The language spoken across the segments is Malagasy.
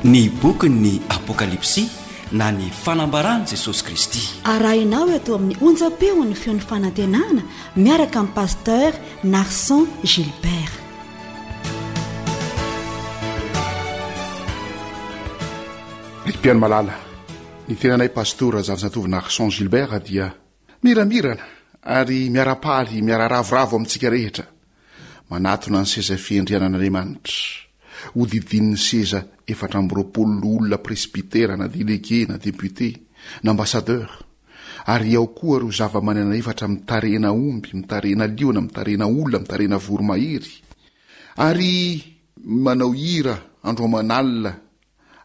Ny bokin'ny Apokalypsy na ny fanambaran'i Jesosy Kristy. Arahinao eto amin'ny onjam-peon'ny feon'ny fanantenana miaraka amin'i Pasteur Narson Gilbert. Ry mpihaino malala, ny tenanay Pastora Zafinjatovo Narson Gilbert dia miramirana ary miara-paly miara-ravoravo amintsika rehetra Manatona ny seza fiandrianan'Andriamanitra, hodidinin'ny seza 24 loholona presbytera na delege na député na ambassadeur, ary ao koa ireo zava-manana efatra mitarehina omby, mitarehina liona, mitarehina olona, mitarehina voromahery, ary manao hira andro aman'alina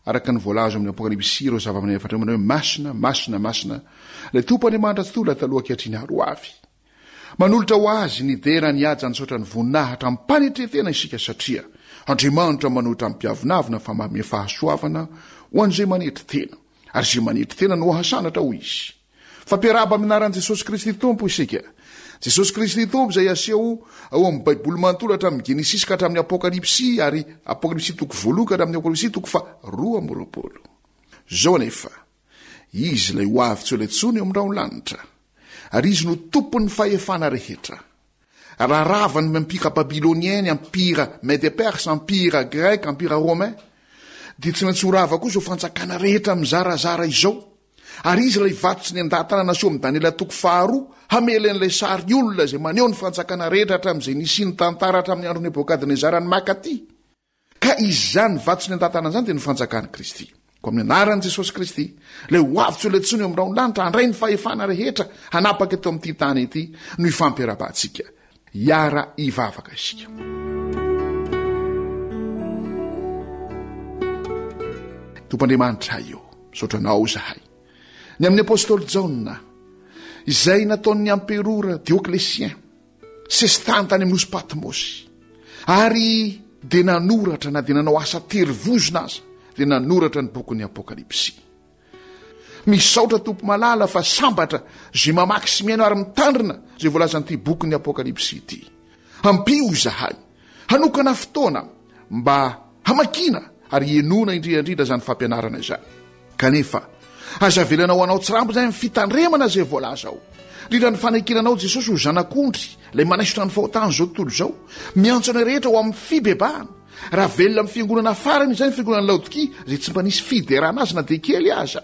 araka ny voalaza ao amin'ny Apokalypsy ireo zava-manana efatra ireo manao hoe masina, masina, masina, ilay Tompo Andriamanitra Tsitoha, ilay taloha ankehitriny ary ho avy. Manolotra ho Azy ny dera, ny haja, ny saotra, ny voninahitra amim-panetren-tena isika satria Andriamanitra manohitra ny mpiavonavona fa manome fahasoavana ho an'izay manetry tena, ary izay manetry tena no hasandratra, hoy Izy. Fampiarahaba amin'ny anaran'i Jesosy Kristy Tompo isika. Jesosy Kristy Tompo izay aseho ao amin'ny Baiboly manontolo hatramin'ny Genesisy ka hatramin'ny Apokalypsy ary Apokalypsy toko voalohany ka hatramin'ny Apokalypsy toko faha 22. Izao anefa, Izy ilay ho avy tsy ho ela intsony eo amin'ny rahon'ny lanitra, ary Izy no tompon'ny fahefana rehetra. Raha rava ny empira babylonien, ny empira mede-perse, empira grec, empira romain, dia tsy maintsy ho rava koa izao fanjakana rehetra mizarazara izao. Ary Izy ilay vato tsy nendaha-tanana aseho amin'i Daniela toko faharoa, hamely an'ilay sary olona izay maneho ny fanjakana rehetra hatramin'izay nisian'ny tantara hatramin'ny andron'i Nebokadnezara ny makaty. Ka izany vato sy ny antantanana izany dia ny fanjakan'i Kristy. Koa amin'ny anaran'i Jesosy Kristy, ilay ho avy tsy ho letsony eo amin'ny rahon'ny lanitra, handray ny fahefana rehetra hanapaka eto amin'ity tany ity no ifampirahabantsika. Hiara hivavaka isika. Tompo Andriamanitra io, misaotra anao izahay. Ny amin'ny apostoly Jaona, izay nataon'ny amperora Dioclétien, sesitany tany amin'ny nosy Patmosy, ary dia nanoratra na dia nanao asa tery vozona aza, dia nanoratra ny bokin'ny Apokalypsy. Misaotra Tompo malala fa sambatra izay mamaky sy mihaino ary mitandrina izay voalazan'ity bokin'ny Apokalypsy ity. Ampio izahay hanokana fotoana mba hamakiana ary henoana indrindra indrindra izany fampianarana izany. Kanefa, aza avelana ho anao tsirambo izany ny fitandremana izay voalaza ao. Indrindra ny fanekena anao Jesosy ho Zanak'ondry, ilay manaisotra ny fahotan'izao tontolo izao. Miantso anay rehetra ho amin'ny fibebahana. Raha velona amin'ny fiangonana farany izay ny fiangonan'i Laodikia, izay tsy mba nisy fiderana azy na dia kely aza.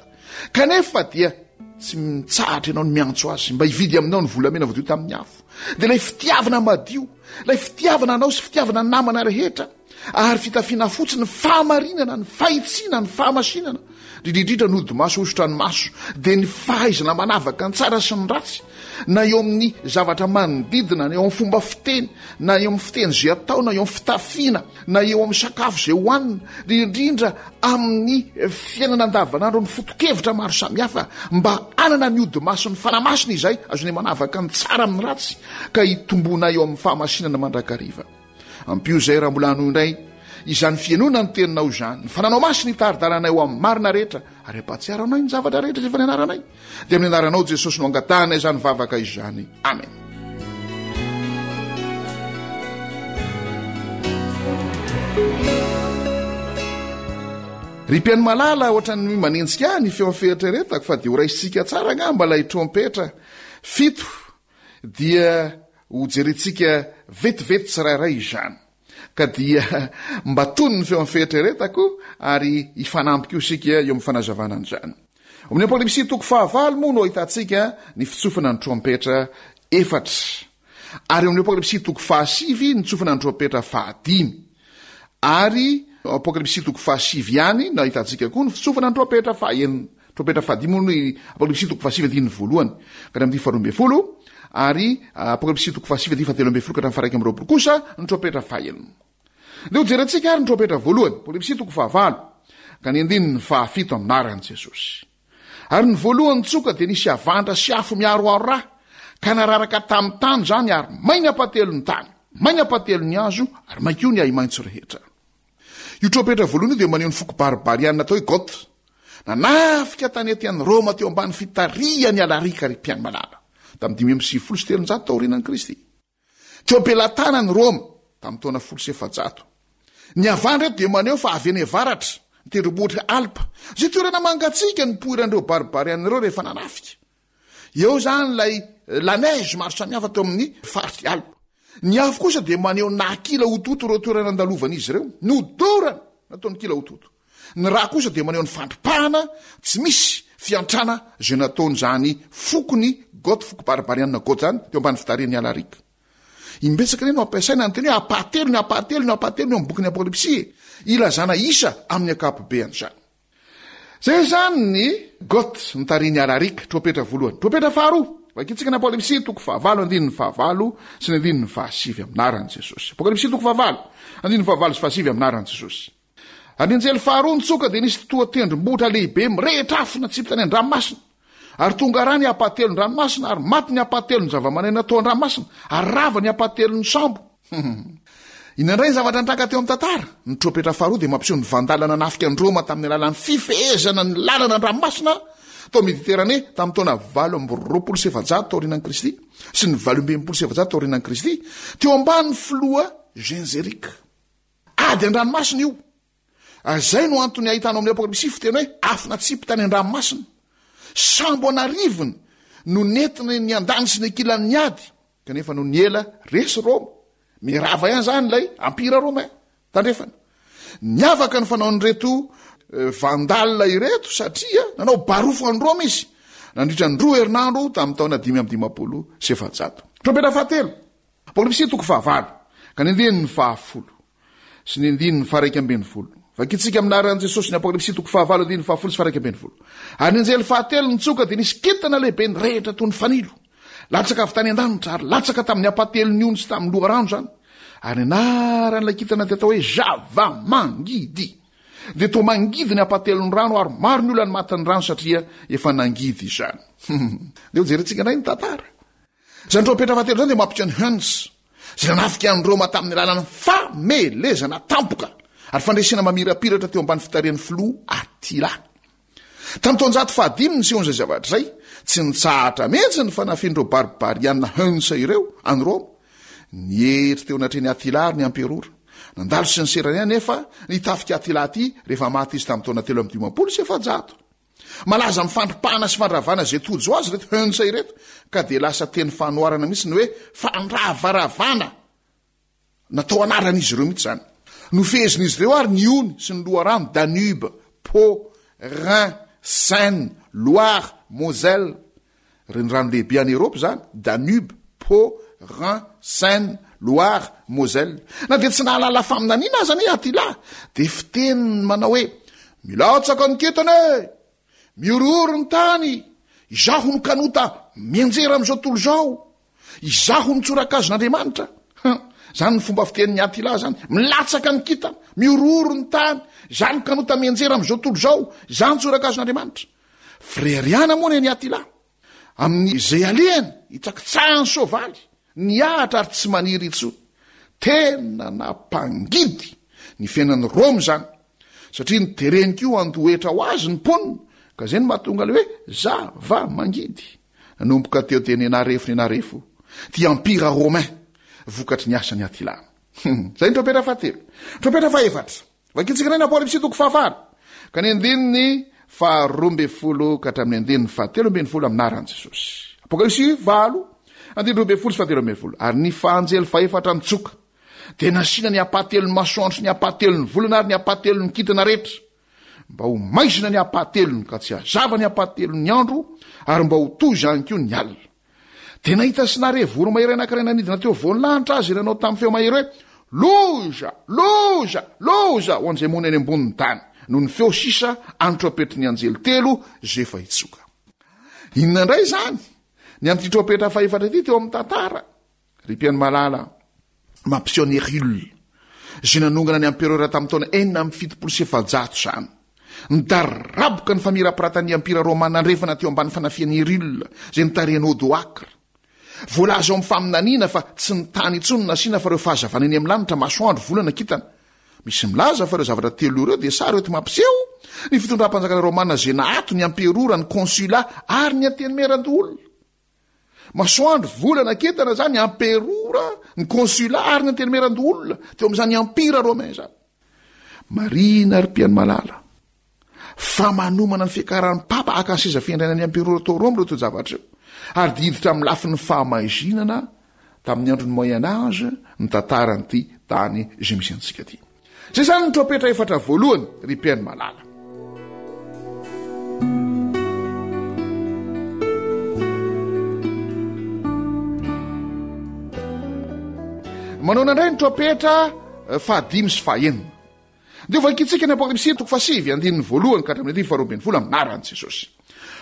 Kanefa dia tsy mitsahatra ianao ny miantso azy mba hividy aminao ny volamena voadio tamin'ny afo. Dia ilay fitiavana madio, ilay fitiavana anao sy fitiavana ny namana rehetra. Ary fitafiana fotsy ny fahamarinana, ny fahitsiana, ny fahamasinana, indrindra indrindra ny hodi-maso hosotra ny maso, dia ny fahaizana manavaka ny tsara sy ny ratsy, na eo amin'ny zavatra manodidina, na eo amin'ny fomba fiteny, na eo amin'ny fiteny izay atao, na eo amin'ny fitafiana, na eo amin'ny sakafo izay hohanina, indrindra indrindra amin'ny fiainana andavanandro, ny foto-kevitra maro samihafa, mba hanana ny hodi-mason'ny Fanahy Masina izay azonay manavaka ny tsara amin'ny ratsy, ka hitomboana eo amin'ny fahamasinana mandrakariva. Ampio izay raha mbola hanohy indray izany fihainoana ny teninao izany. Ny fananao masina hitari-dalanay ho amin'ny marina rehetra ary ampahatsiaro anay ny zavatra rehetra izay efa nianaranay. Dia amin'ny anaranao Jesosy no angatahanay izany vavaka izany. Amen. Ry mpihaino malala, ohatran'ny manenjika ahy ny feon'ny fieritreretako fa dia ho raisintsika tsara angamba ilay trompetra fito dia ho jerentsika vetivety tsirairay izany. Ka dia mba tony ny feon'ny fieritreretako ary hifanampy koa isika eo amin'ny fanazavana an'izany. Ao amin'ny Apokalypsy toko fahavalo moa no ahitantsika ny fitsofana ny trompetra efatra. Ary ao amin'ny Apokalypsy toko fahasivy ny tsofana ny trompetra fahadimy. Ary Apokalypsy toko fahasivy ihany no ahitantsika koa ny fitsofana ny trompetra fahenina. Trompetra fahadimy moa no Apokalypsy toko fahasivy andininy voalohany ka hatramin'ny faharoa ambin'ny folo, ary Apokalypsy toko fahasivy andininy fahatelo ambin'ny folo ka hatramin'ny faha-21 kosa ny trompetra fahenina. Ndeha hojerentsika ary ny trompetra voalohany, Apokalypsy toko fahavalo ka ny andininy fahafito amin'ny anaran'i Jesosy. Ary ny voalohany tsoka dia nisy havandra sy afo miharoharo ra, ka nararaka tamin'ny tany izany ary may ny ampahatelon'ny tany, may ny ampahatelon'ny hazo ary may koa ny ahi-maitso rehetra. Io trompetra voalohany io dia maneho ny foko barbariana atao hoe Goth. Nanafika tanety an'i Roma teo ambany fitarihan'i Alarika ry mpianimalala, tamin'ny 395 taorianan'i Kristy. Teo am-pelatanan'i Roma, tamin'ny taona 410. Ny havandra eto dia maneho fa avy any avaratra. ny tendrombohitra Alpes, izay toerana mangatsiaka nipoiran'ireo Barbariana ireo rehefa nanafika. Eo izany ilay la neige maro samihafa teo amin'ny faritr'i Alpes. Ny afo kosa dia maneho ny naha-kila hotohoto ireo toerana nandalovan'izy ireo. Nodorana nataony kila hotohoto. Ny ra kosa dia maneho ny fandripahana tsy misy fiantrana izay nataon'izany fokon'i Goth, foko barbariana Goth izany, teo ambany fitarihan'i Alaric. Imbetsaka anie no ampiasaina ny teny hoe ampahatelony, ampahatelony, ampahatelony ao amin'ny bokin'ny Apokalypsy e! Ilazana isa amin'ny ankapobeany izany. Izay izany ny Goth notarihin'i Alaric, trompetra voalohany. Trompetra faharoa, vakintsika ny Apokalypsy toko fahavalo andininy fahavalo sy ny andininy fahasivy amin'ny anaran'i Jesosy. Apokalypsy toko fahavalo, andininy fahavalo sy fahasivy amin'ny anaran'i Jesosy. Ary ny anjely faharoa nitsoka dia nisy toa tendrombohitra lehibe mirehitra afo natsipy tany an-dranomasina. Ary tonga ra ny ampahatelon-dranomasina, ary maty ny ampahatelon'ny zavamananaina tao an-dranomasina, ary rava ny ampahatelon'ny sambo. Inona indray ny zavatra nitranga teo amin'ny tantara? Ny trompetra faharoa dia mampiseho ny Vandala nanafika an'i Roma tamin'ny alalan'ny fifehezana ny lalana an-dranomasina tao Mediterane tamin'ny taona 428 taorianan'i Kristy sy ny 468 taorianan'i Kristy, teo ambany filoha Genseric. Ady an-dranomasina io. Ary izay no antony ahitana ao amin'ny Apokalypsy fiteny hoe afo natsipy tany an-dranomasina. Sambo an'arivony no nentina niandany sy niankilan'ny ady, kanefa nony ela resy Roma. Mirava ihany izany ilay Empire Romain tandrefana. Niavaka ny fanaon'ireto eh, Vandal ireto satria nanao barofo an'i Roma izy nandritra ny roa herinandro tamin'ny taona 455. Trompetra fahatelo. Apokalypsy toko fahavalo ka ny andininy fahafolo sy ny andininy faha-11. Vakintsika amin'ny anaran'i Jesosy ny Apokalypsy toko fahavalo andininy fahafolo sy faha-11. Ary ny anjely fahatelo nitsoka dia nisy kintana lehibe nirehitra toy ny fanilo. Latsaka avy tany an-danitra ary latsaka tamin'ny ampahatelon'ny ony sy tamin'ny loharano izany. Ary ny anaran'ilay kintana dia atao hoe Zava-mangidy. Dia toa mangidy ny ampahatelon'ny rano ary maro ny olona ny matin'ny rano satria efa nangidy izany. Dia hojerentsika indray ny tantara. Izany trompetra fahatelo izany dia mampiseho ny Huns, izay nanafika an'i Roma tamin'ny alalan'ny famelezana tampoka ary fandresena mamirapiratra teo ambany fitarihan'ny filoha Attila. Tamin'ny taonjato fahadimy nisehoan'izay zavatra izay, tsy nitsahatra mihitsy ny fanafian'ireo barbariana Huns ireo an'i Roma. Nietry teo anatrehan'i Attila ary ny amperora. Nandalo sy niserana ihany anefa ny tafik'i Attila ity rehefa maty izy tamin'ny taona 453. Malaza amin'ny fandripahana sy fandravana izay tojo azy ireto Huns ireto ka dia lasa teny fanoharana mihitsy ny hoe fandravaravana. Natao anaran'izy ireo mihitsy izany. Nofehezin'izy ireo ary ny ony sy ny loharano Danube, Po, Rhin, Seine, Loire, Moselle. Renirano lehibe any Eropa izany, Danube, Po, Rhin, Seine, Loire, Moselle. Na dia tsy nahalala faminaniana aza anie Attila, dia fiteniny manao hoe, Milatsaka ny kintana e! Mihorohoro ny tany! Izaho no kanota mianjera amin'izao tontolo izao! Izaho no tsorakazon'Andriamanitra! Hum, izany ny fomba fitenin'i Attila izany. Milatsaka ny kintana, mihorohoro ny tany, izaho no kanota mianjera amin'izao tontolo izao, izaho no tsorakazon'Andriamanitra. Fireharehana moa ny an'i Attila amin'izay alehany, hitsakitsahan'ny soavaly, nihahatra ary tsy maniry intsony. Tena nampangidy ny fiainan'i Roma izany, satria notereny koa handoa hetra ho azy ny mponina, ka izay no mahatonga ilay hoe zava-mangidy. Nanomboka teo dia nenarefo nenarefo ity Empire romain vokatry ny asan'i Attila. Izay ny trompetra fahatelo. Trompetra fahefatra. Vakintsika indray ny Apokalypsy toko fahavalo, ka ny andininy faharoa ambin'ny folo ka hatramin'ny andininy fahatelo ambin'ny folo amin'ny anaran'i Jesosy. Apokalypsy valo, andininy roa ambin'ny folo sy fahatelo ambin'ny folo. Ary ny fahanjely fahefatra nitsoka, dia nasiana ny ampahatelon'ny masoandro sy ny ampahatelon'ny volana ary ny ampahatelon'ny kintana rehetra, mba ho maizina ny ampahatelony ka tsy hazava ny ampahatelon'ny andro, ary mba ho toy izany koa ny alina. Dia nahita sy nahare voromahery anankiray nanidina teo afovoan'ny lanitra azy, nanao tamin'ny feo mahery hoe, Loza! Loza! Loza! Ho an'izay monina eny ambonin'ny tany, noho ny feo sisa an'ny trompetry ny anjely telo izay efa hitsoka. Inona indray izany ny amin'ity trompetra fahefatra ity teo amin'ny tantara? Ry mpihaino malala, mampiseho an'i Hercule, izay nanongana ny empereur tamin'ny taona 476 izany. Nidaraboka ny famirapiratan'ny Empira Romana Andrefana teo ambany fanafihan'i Hercule, izay notarihan'i Odoacre. Voalaza ao amin'ny faminaniana fa tsy ny tany intsony no nasiana fa ireo fahazavana eny amin'ny lanitra, masoandro, volana, kintana. Misy milaza fa ireo zavatra telo ireo dia sary enti-mampiseho ny fitondram-panjakana romana izay naato ny emperora, ny konsula ary ny antenimierandoholona. Masoandro, volana, kintana izany, amperora, ny consulat ary ny antenimierandoholona teo amin'izany empire romain izany. Marihina ry mpihaino malala. Fa manomana ny fiakaran'ny Papa haka ny seza fiandrianan'ny Emperora tao Roma ireo toe-javatra ireo, ary dia hiditra amin'ny lafiny fahamaizinana tamin'ny andron'ny Moyen Age ny tantaran'ity tany izay misy antsika ity. Izay izany ny trompetra efatra voalohany, ry mpihaino malala. Manaona indray ny trompetra fahadimy sy fahenina. Dia hovakintsika ny Apokalypsy toko fahasivy andininy voalohany ka hatramin'ny andininy faharoa ambin'ny folo amin'ny anaran'i Jesosy.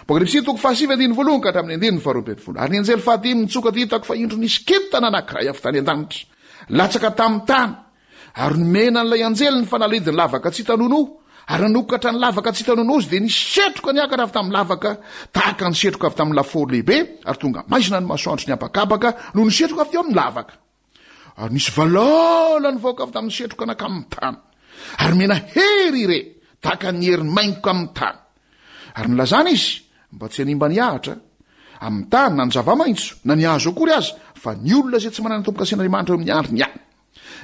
Apokalypsy toko fahasivy andininy voalohany ka hatramin'ny andininy faharoa ambin'ny folo. Ary ny anjely fahadimy nitsoka dia hitako fa indro nisy kintana anankiray avy tany an-danitra, latsaka tamin'ny tany, ary nomena an'ilay anjely ny fanalahidin'ny lavaka tsy hita nonoa, ary nanokatra ny lavaka tsy hita nonoa izy, dia nisy setroka niakatra avy tamin'ny lavaka, tahaka ny setroka avy tamin'ny lafaoro lehibe, ary tonga maizina ny masoandro sy ny habakabaka noho ny setroka avy teo amin'ny lavaka. Ary nisy valala nivoaka avy tamin'ny setroka nankamin'ny tany, ary nomena hery ire, tahaka ny hery maingoka amin'ny tany. Ary nilazana izy mba tsy hanimba ny ahitra amin'ny tany, na ny zava-maitso, na ny hazo akory aza, fa ny olona izay tsy manana tombo-kasen'Andriamanitra eo amin'ny andriny ihany.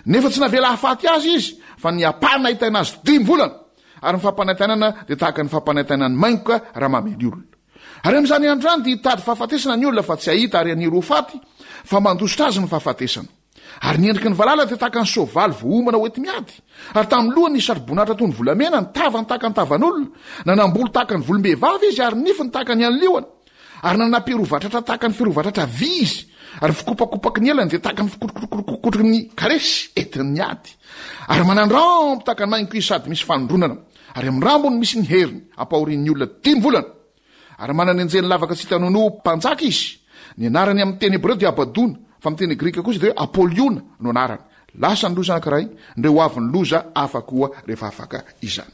Nefa tsy navela hahafaty azy izy, fa ny hampanaintaina azy dimy volana, ary ny fampanaintainana dia tahaka ny fampanaintainan'ny maingoka raha mamely olona. Ary amin'izany andro izany dia hitady fahafatesana ny olona fa tsy hahita ary haniry ho faty, fa mandositra azy ny fahafatesana. Ary ny endriky ny valala dia tahaka ny soavaly voaomana ho enti-miady, ary tamin'ny lohany nisy satroboninahitra toy ny volamena, ny tavany tahaka ny tavan'olona, nanam-bolo tahaka ny volom-behivavy izy ary ny nifiny tahaka ny an'ny liona. Ary nanam-pirovatratra tahaka ny firovatratra vy izy, ary ny fikopakopaky ny elany dia tahaka ny fikotrokotrokotroky ny kalesy entin'ny ady. Ary manan-drambo tahaka ny maingoka izy sady misy fanindronana, ary amin'ny rambony misy ny heriny ampahorian'ny olona dimy volana. Ary manana anjely lavaka tsy hita nonoa ho mpanjaka izy. Ny anarany amin'ny teny hebreo dia Abadona, fa amin'ny teny grika kosa dia hoe Apoliona no anarany. Lasa ny loza anankiray, ndreo ho avy ny loza hafa koa rehefa afaka izany.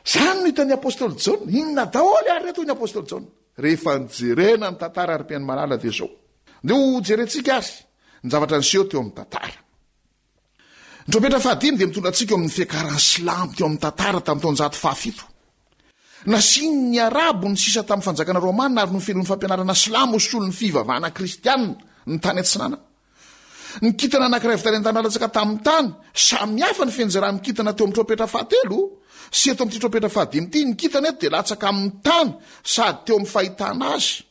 Izany no hitan'ny apostoly Jaona. Inona daholo ary ireto hoy ny apostoly Jaona? Rehefa nijerena ny tantara ry mpihaino malala dia izao. Ndeha ho jerentsika ary ny zavatra niseho teo amin'ny tantara. Ny trompetra fahadimy dia mitondra antsika eo amin'ny fiakaran'ny silamo teo amin'ny tantara tamin'ny taonjato fahafito. Nasian'ny Arabo ny sisa tamin'ny fanjakana romana ary nofenoin'ny fampianarana silamo ho solon'ny fivavahana kristianina ny tany atsinanana. Ny kintana anankiray avy tany an-tany latsaka tamin'ny tany. Samy hafa ny fianjeran'ny kintana teo amin'ny trompetra fahatelo sy eto amin'ity trompetra fahadimy ity. Ny kintana eto dia latsaka amin'ny tany sady teo amin'ny fahitana azy.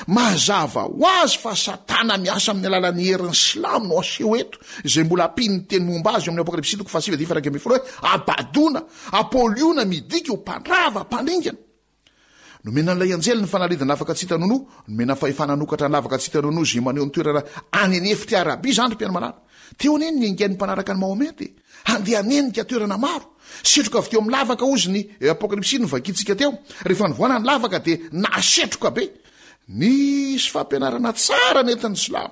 Mazava ho azy fa Satana miasa amin'ny alalan'ny herin'ny silamo no aseho eto, izay mbola ampian'ny teny momba azy eo amin'ny Apokalypsy toko fahasivy andininy faha-11 hoe Abadona, Apoliona midika ho mpandrava, mpandringana. Nomena an'ilay anjely ny fanalahidina lavaka tsy hita nonoa, nomena fahefana hanokatra ny lavaka tsy hita nonoa izay maneho ny toerana any an'efitr'i Arabia izany ry mpihaino malala. Teo anie ny niaingan'ny mpanaraka an'i Mahomet e! Handeha hanenika toerana maro. Setroka avy teo amin'ny lavaka hozy ny Apokalypsy novakintsika teo. Rehefa nivoana ny lavaka dia nahasetroka be. Nisy fampianarana tsara nentin'ny silamo.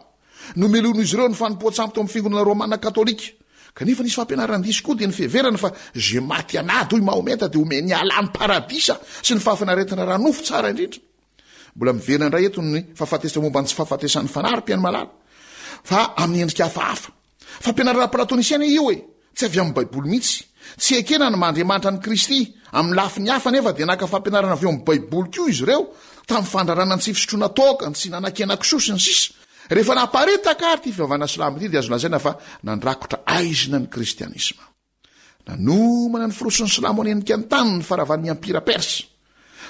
Nomelohin'izy ireo ny fanompoan-tsampy tao amin'ny fiangonana romana katolika. Kanefa nisy fampianaran-diso koa dia ny fiheverana fa izay maty an'ady hoy Mahometa dia omen'i Allah ny paradisa sy ny fahafinaretana ara-nofo tsara indrindra. Mbola miverina indray eto ny fahafatesana momba ny tsy fahafatesan'ny fanahy ry mpihaino malala fa amin'ny endrika hafahafa. Fampianarana platonisiana io e! Tsy avy amin'ny Baiboly mihitsy. Tsy ekena ny maha Andriamanitra an'i Kristy. Amin'ny lafiny hafa anefa dia naka fampianarana avy ao amin'ny Baiboly koa izy ireo, tamin'ny fandrarana ny tsy fisotroana toaka, ny tsy hihinana-kenakisoa, sy ny sisa Rehefa naparitaka àry ity fivavahana silamo ity dia azo lazaina fa nandrakotra aizina ny kristianisma. Nanomana ny firosoan'ny silamo hanenika ny tany ny faharavan'ny Ampira Persa.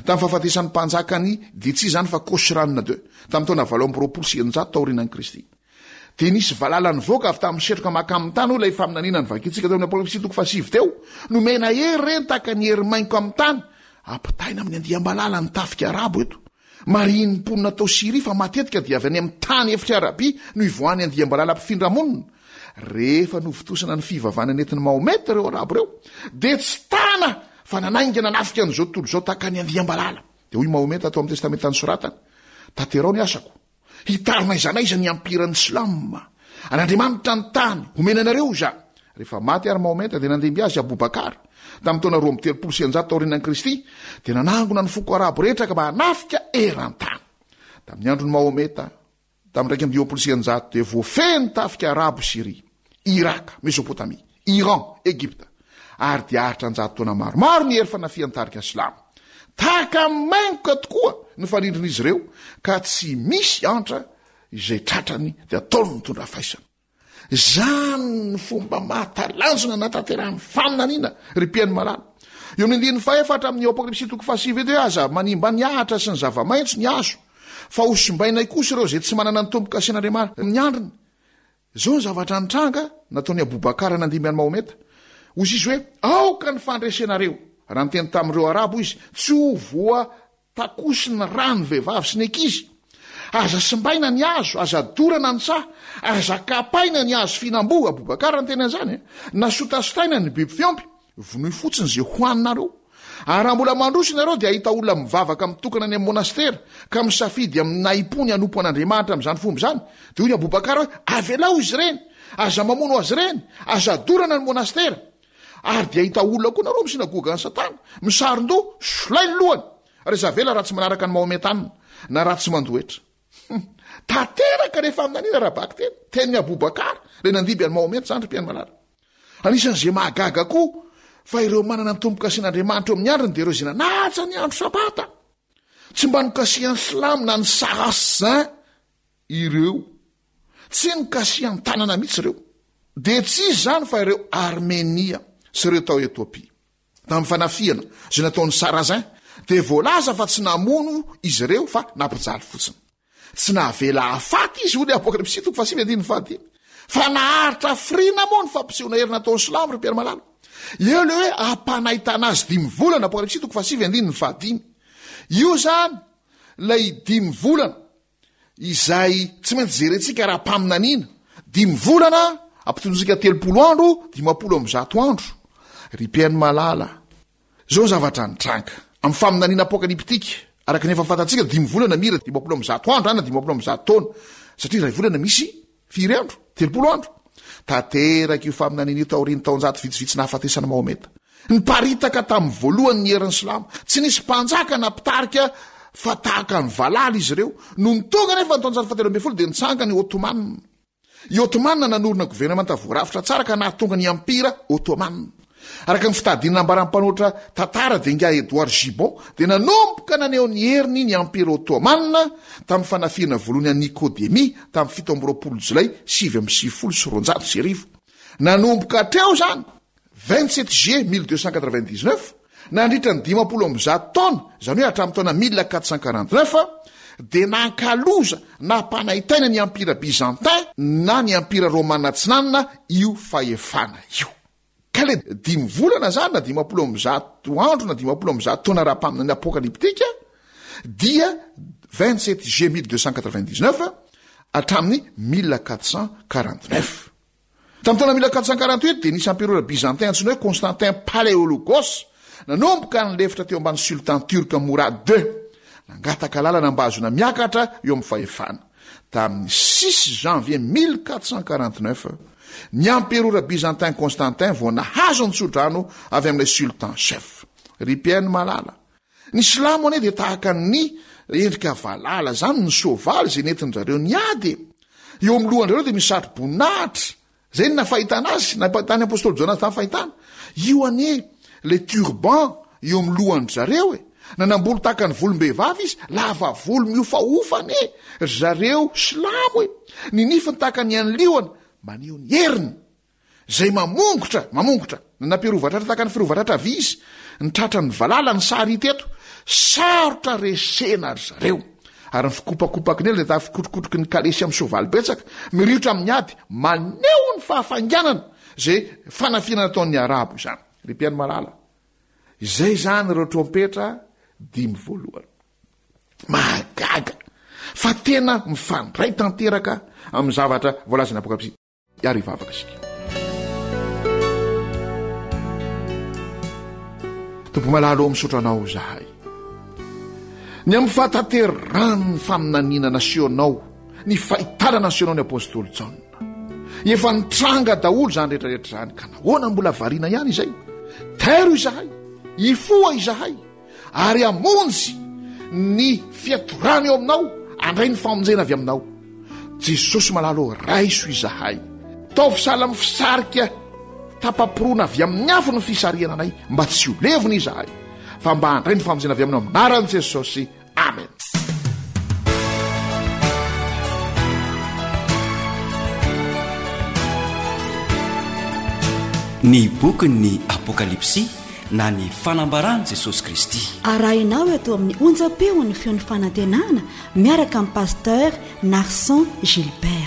Tamin'ny fahafatesan'ny mpanjakany dia tsy izany fa Khosran ii, tamin'ny taona 628 taorianan'i Kristy. Dia nisy valala nivoaka avy tamin'ny setroka mankamin'ny tany, hoy ilay faminaniana novakintsika teo amin'ny Apokalypsy toko fahasivy teo. Nomena hery ireny tahaka ny hery maingoka amin'ny tany. Ampitaina amin'ny andiam-balala ny tafika arabo eto. Marihin'ny mponina tao Syria fa matetika dia avy any amin'ny tany efitr'i Arabia no ivoahan'ny andiam-balala mpifindra monina. Rehefa novontosana ny fivavahana nentin'i Mahomet ireo Arabo ireo, dia tsy tana fa nanainga nanafika an'izao tontolo izao tahaka ny andiam-balala. Dia hoy Mahomet tao amin'ny Testamenta nosoratany, Tanterao ny asako. Hitaro n'aiza n'aiza ny ampiran'ny Islam. An'Andriamanitra ny tany, homena anareo izany. Rehefa maty àry Mahometa dia nandimby azy Abou Bakar. Tamin'ny taona 132 taorianan'i Kristy, dia nanangona ny foko arabo rehetra ka mba hanafika eran-tany. Tamin'ny andron'i Mahometa, tamin'ny 151, dia voafehy ny tafika arabo Syria. Iraka, Mesopotamia, Iran, Egypta, ary dia haharitra an-jato taona maromaro ny hery fanafihan'ny tarika silamo. Tahaka ny maingoka tokoa ny fanindrin'izy ireo ka tsy misy antra izay tratrany dia ataony mitondra faisana. Izany ny fomba mahatalanjona nahatanterahan'ny faminaniana, ry mpihaino malala. Eo amin'ny andininy fahefatra amin'ny Apokalypsy toko fahasivy eto hoe aza manimba ny ahitra sy ny zava-maitso ny hazo, fa ho simbainay kosa ireo izay tsy manana ny tombo-kasen'Andriamanitra amin'ny andriny. Izao ny zavatra nitranga nataon'i Aboubacar nandimby an'i Mahometa. Hoy izy hoe, Aoka ny fandresenareo! Raha niteny tamin'ireo Arabo izy, tsy ho voa Takoso ny rà ny vehivavy sy ny ankizy. Aza simbaina ny hazo, aza dorana ny saha, aza kapaina ny hazo fihinam-boa, Aboubacar niteny an'izany e, na sotasotaina ny biby fiompy, vonoy fotsiny izay hohaninareo. Ary raha mbola mandroso ianareo dia hahita olona mivavaka mitokana any amin'ny monastera, ka misafidy amin'ny nahim-po ny hanompo an'Andriamanitra amin'izany fomba izany. Dia hoy ny Aboubacar hoe, Avelao izy ireny, aza mamono azy ireny, aza dorana ny monastera. Ary dia hahita olona koa nareo amin'ny synagogan'i Satana, misaron-doha, solay ny lohany, ary aza avela raha tsy manaraka ny Mahometanina, na raha tsy mandoa hetra. Hum. Tanteraka ilay faminaniana ara-bakiteny, tenin'i Abou Bakar, ilay nandimby an'i Mahomet izany ry mpihaino malala. Anisan'izay mahagaga koa fa ireo manana ny tombo-kasen'Andriamanitra eo amin'ny andriny dia ireo izay nanaja ny andro Sabata. Tsy mba nokasihan'ny Silamo na ny Sarrasin ireo. Tsy nokasihan-tanana mihitsy ireo. Dia tsy iza izany fa ireo Armenia sy ireo tao Etiopia. Tamin'ny fanafihana izay nataon'ny Sarrasin dia voalaza fa tsy namono izy ireo fa nampijaly fotsiny. Tsy navela hahafaty izy, hoy ny Apokalypsy toko fahasivy andininy fahadimy. Fa naharitra hafiriana moa ny fampisehoana hery nataon'ny Silamo ry Mpiara malala? Eo ilay hoe hampanaitana azy dimy volana, Apokalypsy toko fahasivy andininy fahadimy. Io izany ilay dimy volana izay tsy maintsy jerentsika ara-paminaniana, dimy volana ampitondrontsika 30 andro, 150 andro. Ry mpihaino malala, izao ny zavatra nitranga. Amin'ny faminaniana apokaliptika, araka ny efa fantatsika, dimy volana mira 150 andro na 150 taona, satria iray volana misy Firy andro? 30 andro. Tanteraka io faminaniana io taorian'ny taonjato vitsivitsy nahafatesan'i Mahometa. Niparitaka tamin'ny voalohany ny herin'ny Silamo. Tsy nisy mpanjaka na mpitarika fa tahaka ny valala izy ireo. Nony tonga anefa ny taonjato fahatelo ambin'ny folo dia nitsangana i Ottoman. I Ottoman nanorina governemanta voarafitra tsara ka nahatonga ny Empira Ottoman. Araka ny fitadiana nambaran'ny mpanoratra tantara dia ingahy Edward Gibbon dia nanomboka naneho ny heriny ny Empira Ottoman tamin'ny fanafihana voalohany an'i Nikodemia tamin'ny 27 Jolay 1299. Nanomboka hatreo izany, 27 juillet 1299, nandritra ny 150 taona, izany hoe hatramin'ny taona 1449, dia nankaloza nampanaitaina ny Empira Byzantin na ny Empira Romana Atsinanana io fahefana io. Ka le dimy volana zany na 150 andro na 150 taona ara-paminaniana apokalyptika dia 27 juillet 1299 hatramin'ny 1449. Tamin'ny taona 1448 dia nisy amperora byzantin antsoina hoe Constantin Paléologos nanomboka nilefitra teo ambany sultan turc Mourad ii. Nangataka lalana mba hahazoana miakatra eo amin'ny fahefana. Tamin'ny six janvier 1449, ny amperora byzantin Constantin vao nahazo ny tsodrano avy amin'ilay sultan chef. Ry mpihaino malala, ny silamo anie dia tahaka ny endrika valala izany ny soavaly izay nentin-dRareo niady e! Eo amin'ny lohan-dRareo dia misy satroboninahitra Zay no nafahitana azy, nampahitan'ny apostoly Jaona azy tamin'ny fahitana. Io anie le turban eo amin'ny lohan-dry zareo e. Nanambolo tahaka ny volom-behivavy izy, lava volo mihofahofa anie ry zareo silamo e. Ny nifiny tahaka ny an'ny liona, maneho ny heriny. Izay mamongotra, mamongotra. Nanam-piarovan-tratra tahaka ny fiarovan-tratra vy izy. Ny tratran'ny valala ny sary hita eto. Sarotra resena ry zareo. Ary ny fikopakopaky ny ela dia tahaka fikotrokotroky ny kalesy amin'ny soavaly betsaka, miriotra amin'ny ady, maneho ny fahafainganana izay fanafihana nataon'ny Arabo izany. Ry mpihaino malala, izay izany ireo trompetra dimy voalohany. Mahagaga fa tena mifandray tanteraka amin'ny zavatra voalazan'ny Apokalypsy. Ary hivavaka isika. Tompo malala ô, misaotra Anao izahay. Ny amin'ny fahatanterahan'ny faminaniana nasehonao, ny fahitana nasehonao ny apostoly Jaona. Efa nitranga daholo izany rehetrarehetra izany, ka nahoana mbola variana ihany izay? Tairo izahay, hifoha izahay. ary hamonjy ny fiatorana eo aminao, handray ny famonjena avy aminao. Jesosy malala ô, raiso izahay. Taovy sahala amin'ny fisarika tapa-poroana avy amin'ny afo ny fisarihana anay, mba tsy ho levona izahay, fa mba handray ny famonjena avy aminao amin'ny anaran'i Jesosy. Amen. Ny bokin'ny Apokalypsy. na ny fanambaran'i Jesosy Kristy. Arahinao eto amin'ny onjam-peon'ny feon'ny fanantenana miaraka amin'i Pasteur Narson Gilbert.